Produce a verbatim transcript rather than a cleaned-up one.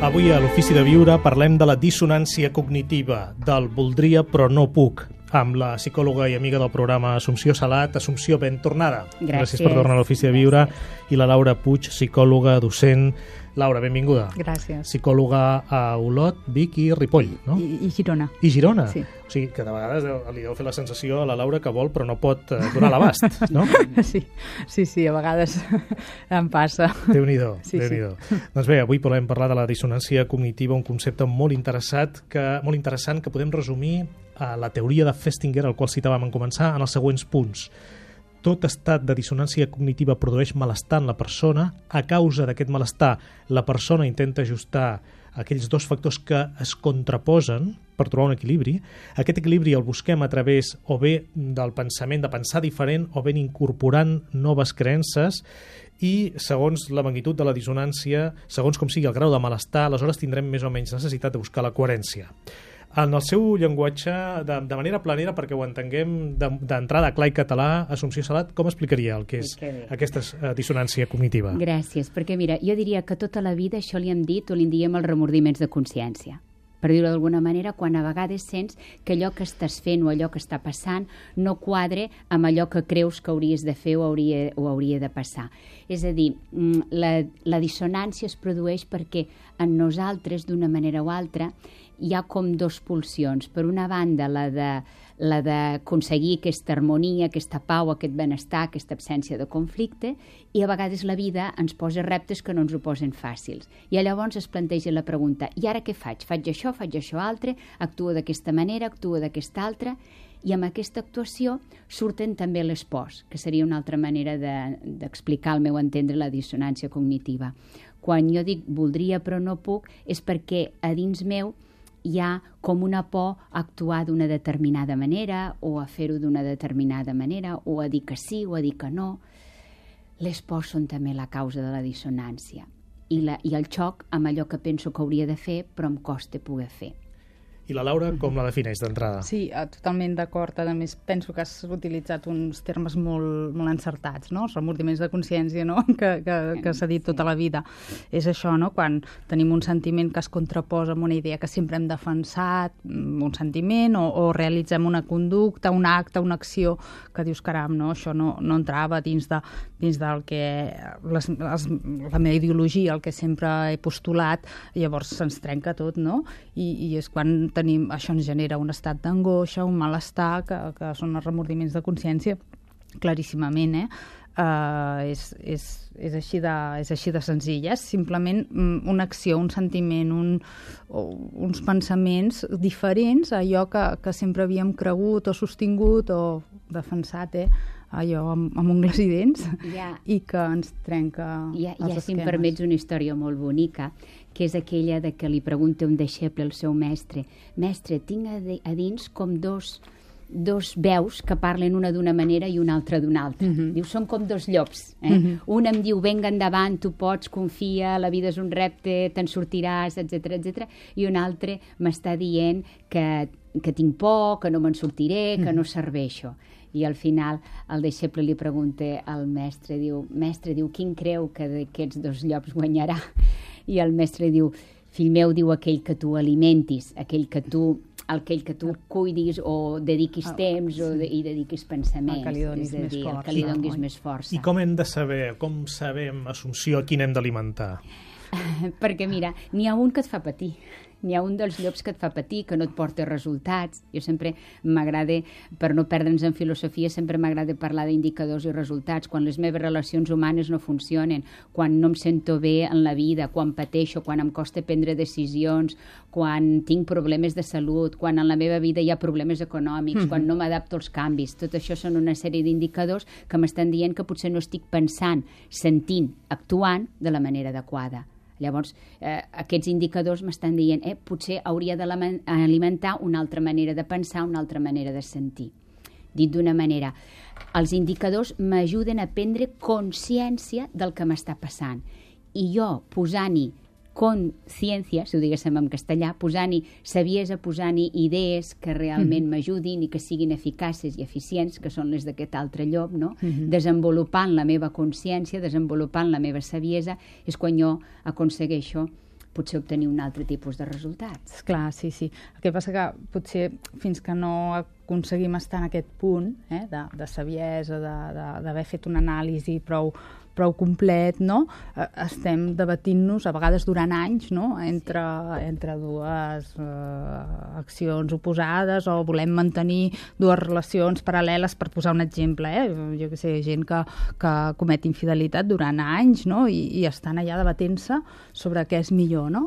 Avui a l'Ofici de Viure parlem de la dissonància cognitiva, del voldria però no puc, amb la psicòloga i amiga del programa Assumpció Salat. Assumpció, ben tornada. Gràcies. Gràcies per tornar a l'Ofici de Viure. Gràcies. I la Laura Puig, psicòloga, docent. Laura, benvinguda. Gràcies. Psicòloga a Olot, Vic i Ripoll, no? I, i Girona. I Girona? Sí. O sigui, que de vegades li deu fer la sensació a la Laura que vol però no pot eh, donar l'abast, no? Sí, sí, sí, a vegades em passa. Déu-n'hi-do, Sí, Déu-n'hi-do. Sí. Doncs bé, avui volem parlar de la dissonància cognitiva, un concepte molt interessat que, molt interessant que podem resumir a la teoria de Festinger, al qual citàvem en començar, en els següents punts. Tot estat de dissonància cognitiva produeix malestar en la persona. A causa d'aquest malestar, la persona intenta ajustar aquells dos factors que es contraposen per trobar un equilibri. Aquest equilibri el busquem a través o bé del pensament, de pensar diferent, o bé incorporant noves creences, i segons la magnitud de la dissonància, segons com sigui el grau de malestar, aleshores tindrem més o menys necessitat de buscar la coherència. En el seu llenguatge, de, de manera planera, perquè ho entenguem d'entrada clar i català, Assumpció Salat, com explicaria el que és aquesta uh, dissonància cognitiva? Gràcies, perquè mira, jo diria que tota la vida això li hem dit o li en diem els remordiments de consciència. Per dir-ho d'alguna manera, quan a vegades sents que allò que estàs fent o allò que està passant no quadre amb allò que creus que hauries de fer o hauria, o hauria de passar. És a dir, la, la dissonància es produeix perquè en nosaltres, d'una manera o altra, hi ha com dos pulsions. Per una banda, la de la d'aconseguir aquesta harmonia, aquesta pau, aquest benestar, aquesta absència de conflicte, i a vegades la vida ens posa reptes que no ens ho posen fàcils. I llavors es planteja la pregunta, i ara què faig? Faig això, faig això altre, actuo d'aquesta manera, actuo d'aquesta altra, i amb aquesta actuació surten també les pors, que seria una altra manera d'explicar de, al meu entendre la dissonància cognitiva. Quan jo dic voldria però no puc, és perquè a dins meu hi ha com una por a actuar d'una determinada manera o a fer-ho d'una determinada manera o a dir que sí o a dir que no. Les pors són també la causa de la dissonància i, la, i el xoc amb allò que penso que hauria de fer però em costa poder fer. I la Laura com la defineix d'entrada? Sí, totalment d'acord. A més, penso que has utilitzat uns termes molt, molt encertats, no? Els remordiments de consciència, no? que, que, que s'ha dit tota la vida. És això, no? Quan tenim un sentiment que es contraposa amb una idea que sempre hem defensat, un sentiment, o, o realitzem una conducta, un acte, una acció, que dius, caram, no? Això no, no entrava dins, de, dins del que les, les, la meva ideologia, el que sempre he postulat, llavors se'ns trenca tot, no? I, i és quan tenim, això ens genera un estat d'angoixa, un malestar, que, que són els remordiments de consciència, claríssimament, eh? Uh, és, és, és, així de, és així de senzill. És simplement una acció, un sentiment, un, uns pensaments diferents a allò que, que sempre havíem cregut o sostingut o defensat, eh? allò amb, amb ungles i dents, ja, i que ens trenca ja, els ja, esquemes. Si em permets una història molt bonica, que és aquella de que li pregunta un deixeble al seu mestre: mestre, tinc a, de, a dins com dos, dos veus que parlen una d'una manera i una altra d'una altra. Uh-huh. Diu, són com dos llops. Eh? Uh-huh. Un em diu, venga endavant, tu pots, confia, la vida és un repte, te'n sortiràs, etcètera, etcètera. I un altre m'està dient que, que tinc por, que no me'n sortiré, que uh-huh. no serveixo. I al final el deixeble li pregunta al mestre, diu, mestre, diu, quin creu que d'aquests dos llops guanyarà? I el mestre diu, fill meu, diu, aquell que tu alimentis, aquell que tu, aquell que tu cuidis o dediquis temps o de, i dediquis pensaments. El que li donis és a més dir, força. El que li donis no? més força. I com hem de saber, com sabem, Assumpció, a quin hem d'alimentar? Perquè mira, n'hi ha un que et fa patir. N'hi ha un dels llops que et fa patir, que no et porta resultats. Jo sempre m'agrada, per no perdre'ns en filosofia, sempre m'agrada parlar d'indicadors i resultats. Quan les meves relacions humanes no funcionen, quan no em sento bé en la vida, quan pateixo, quan em costa prendre decisions, quan tinc problemes de salut, quan en la meva vida hi ha problemes econòmics, mm-hmm. quan no m'adapto als canvis. Tot això són una sèrie d'indicadors que m'estan dient que potser no estic pensant, sentint, actuant de la manera adequada. Llavors, eh, aquests indicadors m'estan dient eh, potser hauria d'alimentar una altra manera de pensar, una altra manera de sentir. Dit d'una manera, els indicadors m'ajuden a prendre consciència del que m'està passant. I jo, posant-hi consciència, si ho diguéssim en castellà, posant-hi saviesa, posant-hi idees que realment mm-hmm. m'ajudin i que siguin eficaces i eficients, que són les d'aquest altre llop, no? Mm-hmm. Desenvolupant la meva consciència, desenvolupant la meva saviesa, és quan jo aconsegueixo potser obtenir un altre tipus de resultats. Clar, sí, sí. El que passa que potser fins que no aconseguim estar en aquest punt eh, de, de saviesa, d'haver fet una anàlisi prou, prou complet, no? Estem debatint-nos, a vegades durant anys, no? entre, entre dues eh, accions oposades, o volem mantenir dues relacions paral·leles, per posar un exemple. Eh? Jo que sé, gent que, que comet infidelitat durant anys, no? I, i estan allà debatent-se sobre què és millor, no?